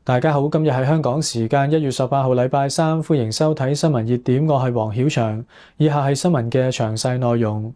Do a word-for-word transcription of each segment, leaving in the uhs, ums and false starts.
大家好，今日係香港時間一月十八號禮拜三，歡迎收睇新聞熱點，我係黃曉翔。以下係新聞嘅詳細內容。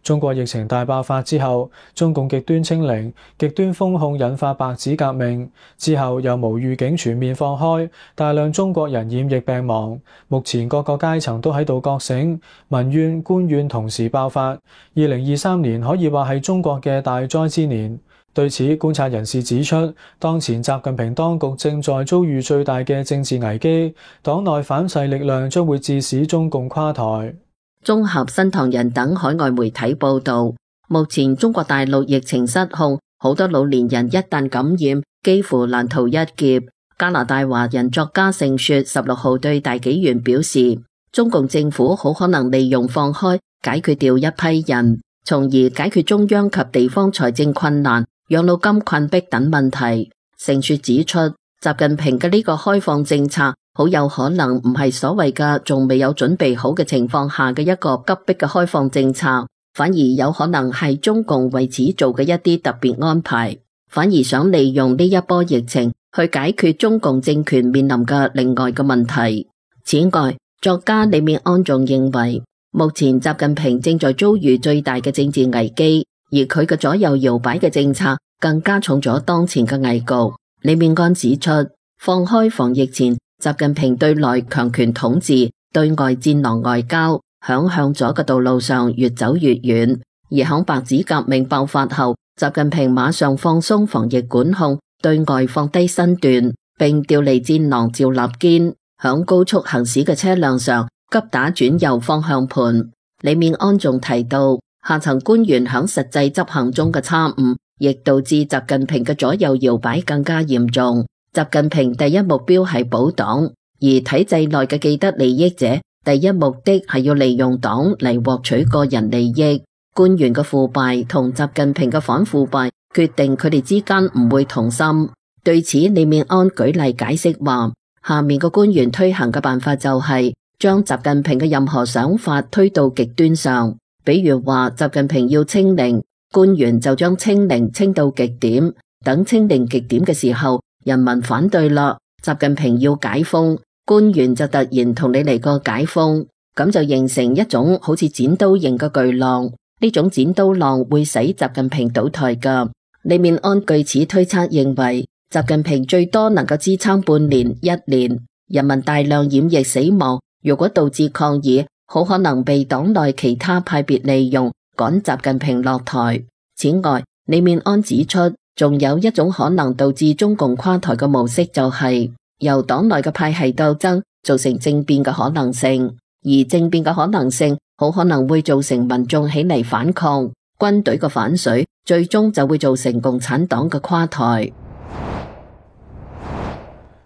中國疫情大爆發之後，中共極端清零、極端封控引發白紙革命，之後又無預警全面放開，大量中國人染疫病亡。目前各個階層都喺度覺醒，民怨、官怨同時爆發。二零二三年可以話係中國嘅大災之年。對此，觀察人士指出，當前習近平當局正在遭遇最大嘅政治危機，黨內反勢力量將會致使中共垮台。綜合新唐人等海外媒體報道，目前中國大陸疫情失控，好多老年人一旦感染，幾乎難逃一劫。加拿大華人作家盛雪十六號對大紀元表示，中共政府好可能利用放開解決掉一批人，從而解決中央及地方財政困難、養老金困迫等問題。盛雪指出，習近平嘅呢個開放政策好有可能唔係所謂嘅仲未有準備好嘅情況下嘅一個急迫嘅開放政策，反而有可能係中共為此做嘅一啲特別安排，反而想利用呢一波疫情去解決中共政權面臨嘅另外嘅問題。此外，作家李面安仲認為，目前習近平正在遭遇最大嘅政治危機，而佢嘅左右搖擺嘅政策更加重咗當前嘅危局。李面安指出，放開防疫前，習近平對內強權統治、對外戰狼外交，響向左嘅道路上越走越遠。而響白紙革命爆發後，習近平馬上放鬆防疫管控，對外放低身段，並調離戰狼趙立堅，響高速行駛嘅車輛上急打轉右方向盤。李面安仲提到，下層官員響實際執行中嘅差誤，亦導致習近平嘅左右搖擺更加嚴重。習近平第一目標係保黨，而體制內嘅既得利益者第一目的係要利用黨嚟獲取個人利益。官員嘅腐敗同習近平嘅反腐敗決定佢哋之間唔會同心。對此，李面安舉例解釋話，下面嘅官員推行嘅辦法就係將習近平嘅任何想法推到極端上，比如話習近平要清零，官員就將清零清到極點，等清零極點嘅時候，人民反對啦，習近平要解封，官員就突然同你嚟個解封，咁就形成一種好似剪刀型嘅巨浪，呢種剪刀浪會使習近平倒台噶。李面安據此推測認為，習近平最多能夠支撐半年、一年，人民大量染疫死亡，如果導致抗議，好可能被黨內其他派別利用，趕習近平落台。此外，李面安指出，仲有一種可能導致中共垮台嘅模式，就係由黨內嘅派系鬥爭造成政變嘅可能性，而政變嘅可能性好可能會造成民眾起嚟反抗，軍隊嘅反水，最終就會造成共產黨嘅垮台。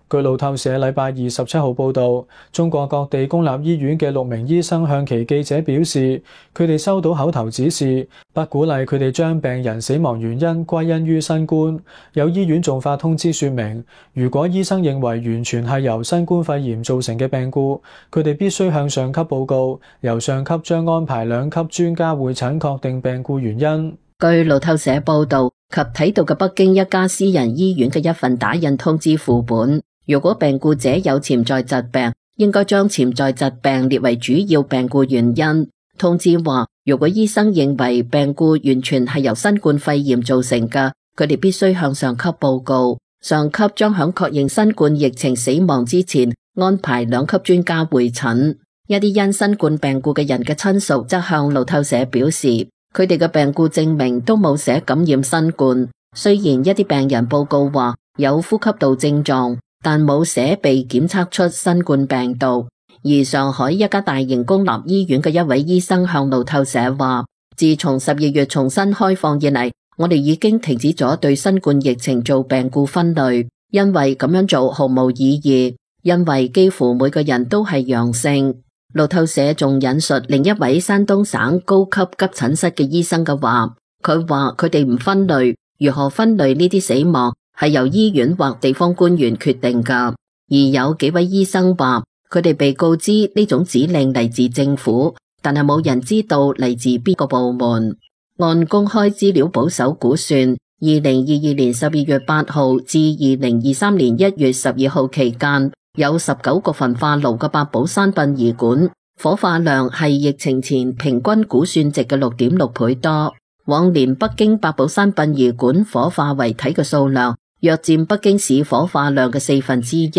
據路透社禮拜二十七號報道，中國各地公立醫院嘅六名醫生向其記者表示，佢哋收到口頭指示，不鼓勵佢哋將病人死亡原因歸因於新冠。有醫院仲發通知說明，如果醫生認為完全係由新冠肺炎造成嘅病故，佢哋必須向上級報告，由上級將安排兩級專家會診確定病故原因。據路透社報道及睇到嘅北京一家私人醫院嘅一份打印通知副本，如果病故者有潛在疾病，應該將潛在疾病列為主要病故原因。通知話，如果醫生認為病故完全係由新冠肺炎造成嘅，佢哋必須向上級報告，上級將響確認新冠疫情死亡之前安排兩級專家會診。一啲因新冠病故嘅人嘅親屬則向路透社表示，佢哋嘅病故證明都冇寫感染新冠，雖然一啲病人報告話有呼吸道症狀，但冇寫被檢測出新冠病毒。而上海一家大型公立醫院嘅一位醫生向路透社話，自從十二月重新開放以嚟，我哋已經停止咗對新冠疫情做病故分類，因為咁樣做毫無意義，因為幾乎每個人都係陽性。路透社仲引述另一位山東省高級急診室嘅醫生嘅話，佢話佢哋唔分類，如何分類呢啲死亡係由醫院或地方官員決定噶。而有幾位醫生話，佢哋被告知呢種指令嚟自政府，但係冇人知道嚟自邊個部門。按公開資料保守估算，二零二二年十二月八號至二零二三年一月十二號期間，有十九個焚化爐嘅八寶山殯儀館火化量係疫情前平均估算值嘅六點六倍多。往年北京八寶山殯儀館火化遺體嘅數量約佔北京市火化量嘅四分之一，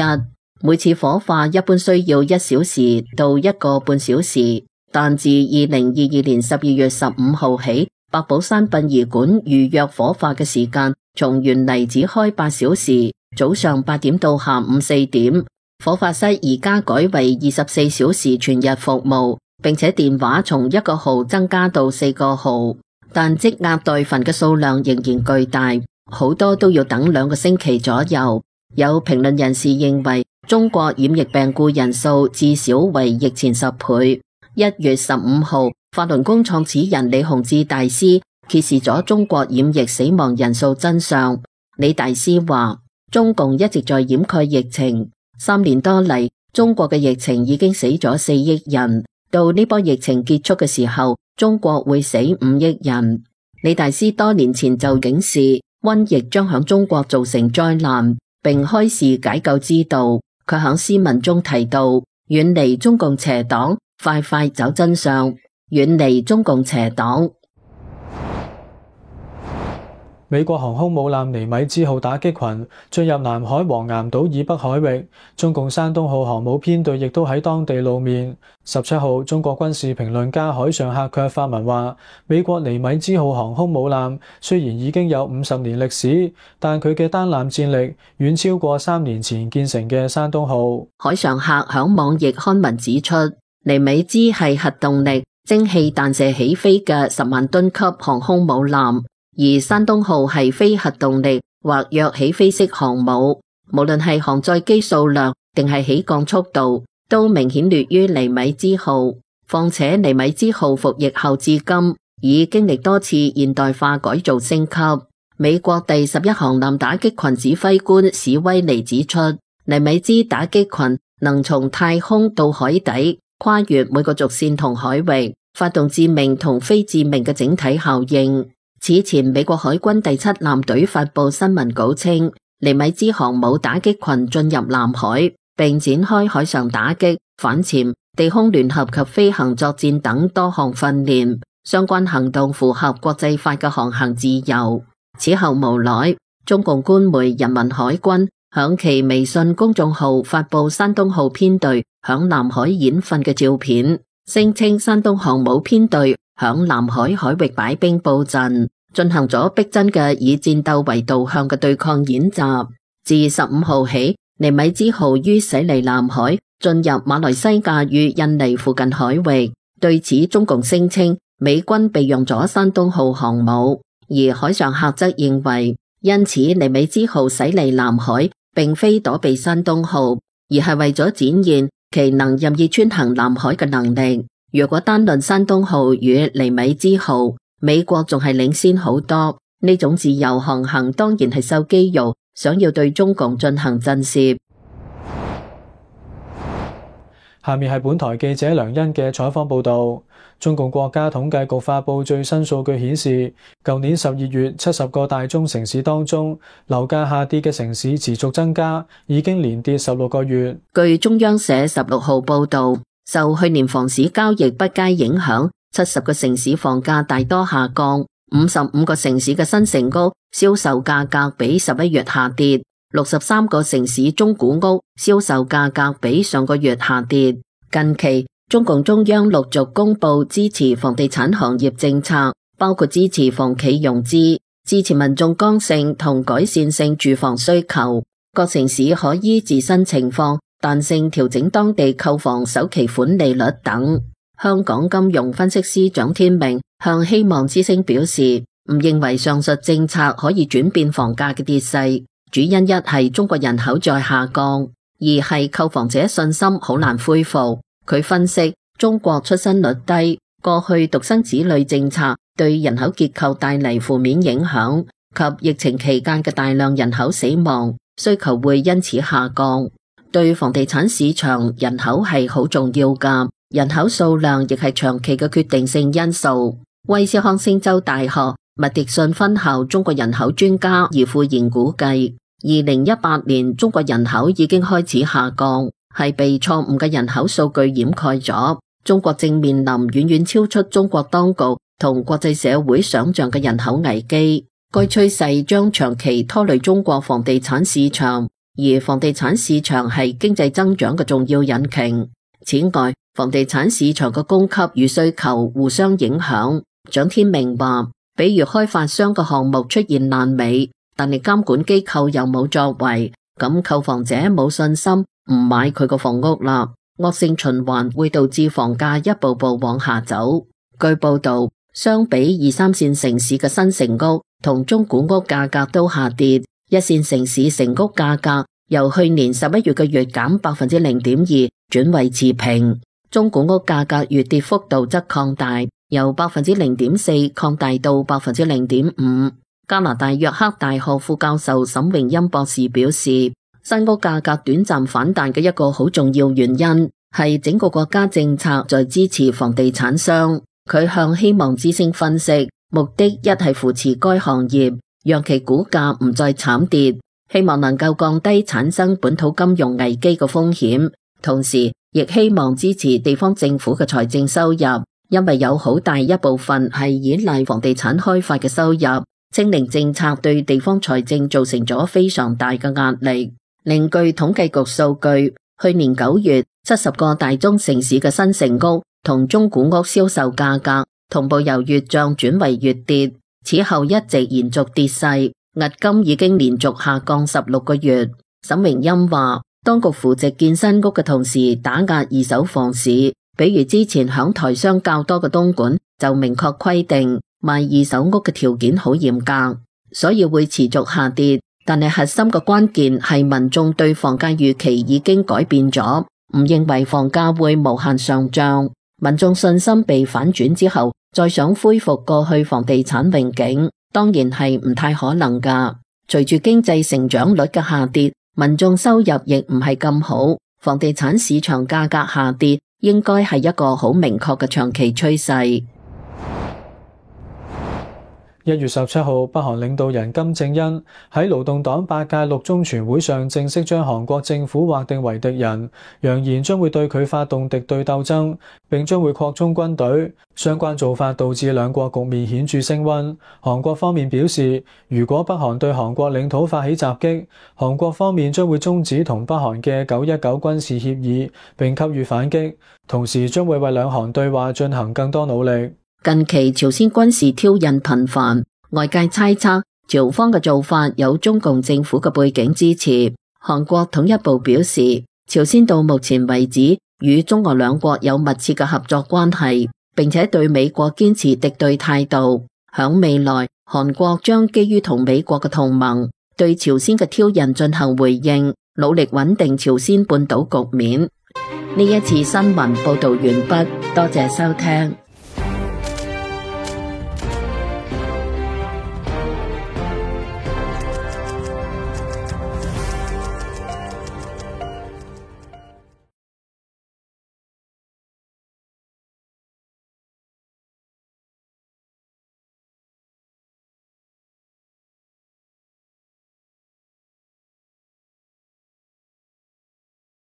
每次火化一般需要一小時到一個半小時。但自二零二二年十二月十五號起，八寶山殯儀館預約火化嘅時間從原嚟只開八小時，早上八點到下午四點。火化室而家改為二十四小時全日服務，並且電話從一個號增加到四個號。但積壓待焚嘅數量仍然巨大，好多都要等兩個星期左右。有評論人士認為，中國染疫病故人數至少為疫前十倍。一月十五號，法輪功創始人李洪志大師揭示咗中國染疫死亡人數真相。李大師話，中共一直在掩蓋疫情，三年多嚟，中國嘅疫情已經死咗四億人，到呢波疫情結束嘅時候，中國會死五億人。李大師多年前就警示，瘟疫將響中國造成災難，並開示解救之道。佢響詩文中提到，遠離中共邪黨，快快找真相，遠離中共邪黨。美國航空母艦尼米茲號打擊群進入南海黃岩島以北海域，中共山東號航母編隊亦都喺當地露面。十七號，中國軍事評論家海上客卻發文話，美國尼米茲號航空母艦雖然已經有五十年歷史，但佢嘅單艦戰力遠超過三年前建成嘅山東號。海上客響網易刊文指出，尼米茲係核動力蒸汽彈射起飛嘅十萬噸級航空母艦。而山東號係非核動力或弱起飛式航母，無論係航載機數量定係起降速度，都明顯劣於尼米茲號。況且尼米茲號服役後至今，已經歷多次現代化改造升級。美國第十一航艦打擊群指揮官史威尼指出，尼米茲打擊群能從太空到海底，跨越每個軸線同海域，發動致命同非致命嘅整體效應。此前，美國海軍第七艦隊發佈新聞稿稱，尼米茲航母打擊群進入南海，並展開海上打擊、反潛、地空聯合及飛行作戰等多項訓練。相關行動符合國際法嘅航行自由。此後無耐，中共官媒人民海軍響其微信公眾號發佈山東號編隊響南海演訓嘅照片，聲稱山東航母編隊響南海海域擺兵布陣，進行咗逼真嘅以戰鬥為導向嘅對抗演習。自十五號起，尼米茲號於駛離南海，進入馬來西亞與印尼附近海域。對此，中共聲稱美軍備用咗山東號航母，而海上客則認為，因此尼米茲號駛離南海，並非躲避山東號，而係為咗展現其能任意穿行南海嘅能力。如果單論山東號與尼米茲號，美國仲係領先好多。呢種自由航行當然係秀肌肉，想要對中共進行震懾。下面係本台記者梁欣嘅採訪報導。中共國家統計局發布最新數據顯示，舊年十二月七十個大中城市當中，樓價下跌嘅城市持續增加，已經連跌十六個月。據中央社十六號報導，受去年房市交易不佳影響，七十個城市房價大多下降，五十五個城市嘅新城屋銷售價格比十一月下跌，六十三個城市中古屋銷售價格比上個月下跌。近期，中共中央陸續公布支持房地產行業政策，包括支持房企融資、支持民眾剛性同改善性住房需求。各城市可依自身情況彈性調整當地購房首期款利率等。香港金融分析師蔣天明向希望之聲表示，唔認為上述政策可以轉變房價嘅跌勢，主因一係中國人口在下降，二係購房者信心好難恢復。佢分析，中國出生率低，過去獨生子女政策對人口結構帶嚟負面影響，及疫情期間嘅大量人口死亡，需求會因此下降。對房地產市場，人口係好重要㗎，人口數量亦係長期嘅決定性因素。威斯康星州大學麥迪遜分校中國人口專家葉富賢估計，二零一八年中國人口已經開始下降，係被錯誤嘅人口數據掩蓋咗。中國正面臨遠遠超出中國當局同國際社會想象嘅人口危機，該趨勢將長期拖累中國房地產市場，而房地產市場係經濟增長嘅重要引擎。此外，房地產市場嘅供給與需求互相影響。蔣天明話，比如開發商嘅項目出現爛尾，但係監管機構又冇作為，咁購房者冇信心，唔買佢個房屋啦。惡性循環會導致房價一步步往下走。據報道，相比二三線城市嘅新成屋同中古屋價格都下跌，一線城市成屋價格由去年十一月嘅月減百分之零點二轉為持平，中古屋價格月跌幅度則擴大，由百分之零點四擴大到百分之零點五。加拿大約克大學副教授沈榮欽博士表示，新屋價格短暫反彈嘅一個好重要原因係整個國家政策在支持房地產商。佢向希望之聲分析，目的一係扶持該行業，讓其股價唔再慘跌，希望能夠降低產生本土金融危機嘅風險，同時亦希望支持地方政府嘅財政收入，因為有好大一部分係依賴房地產開發嘅收入。清零政策對地方財政造成咗非常大嘅壓力。另據統計局數據，去年九月七十個大中城市嘅新成屋同中古屋銷售價格同步由月漲轉為月跌，此後一直延續跌勢，迄今已經連續下降十六個月。沈榮欽話，當局扶植建新屋嘅同時打壓二手房市，比如之前響台商較多嘅東莞就明確規定賣二手屋嘅條件好嚴格，所以會持續下跌。但係核心嘅關鍵係民眾對房價預期已經改變咗，唔認為房價會無限上漲。民眾信心被反轉之後，再想恢復過去房地產榮景，當然係唔太可能㗎。隨住經濟成長率嘅下跌，民眾收入亦唔係咁好，房地產市場價格下跌應該係一個好明確嘅長期趨勢。一月十七號，北韓領導人金正恩喺勞動黨八屆六中全會上正式將韓國政府劃定為敵人，揚言將會對佢發動敵對鬥爭，並將會擴充軍隊。相關做法導致兩國局面顯著升溫。韓國方面表示，如果北韓對韓國領土發起襲擊，韓國方面將會終止同北韓嘅九一九軍事協議，並給予反擊，同時將會為兩韓對話進行更多努力。近期朝鮮軍事挑釁頻繁，外界猜測朝方嘅做法有中共政府嘅背景支持。韓國統一部表示，朝鮮到目前為止與中俄兩國有密切嘅合作關係，並且對美國堅持敵對態度。響未來，韓國將基於同美國嘅同盟，對朝鮮嘅挑釁進行回應，努力穩定朝鮮半島局面。呢一次新聞報道完畢，多謝收聽。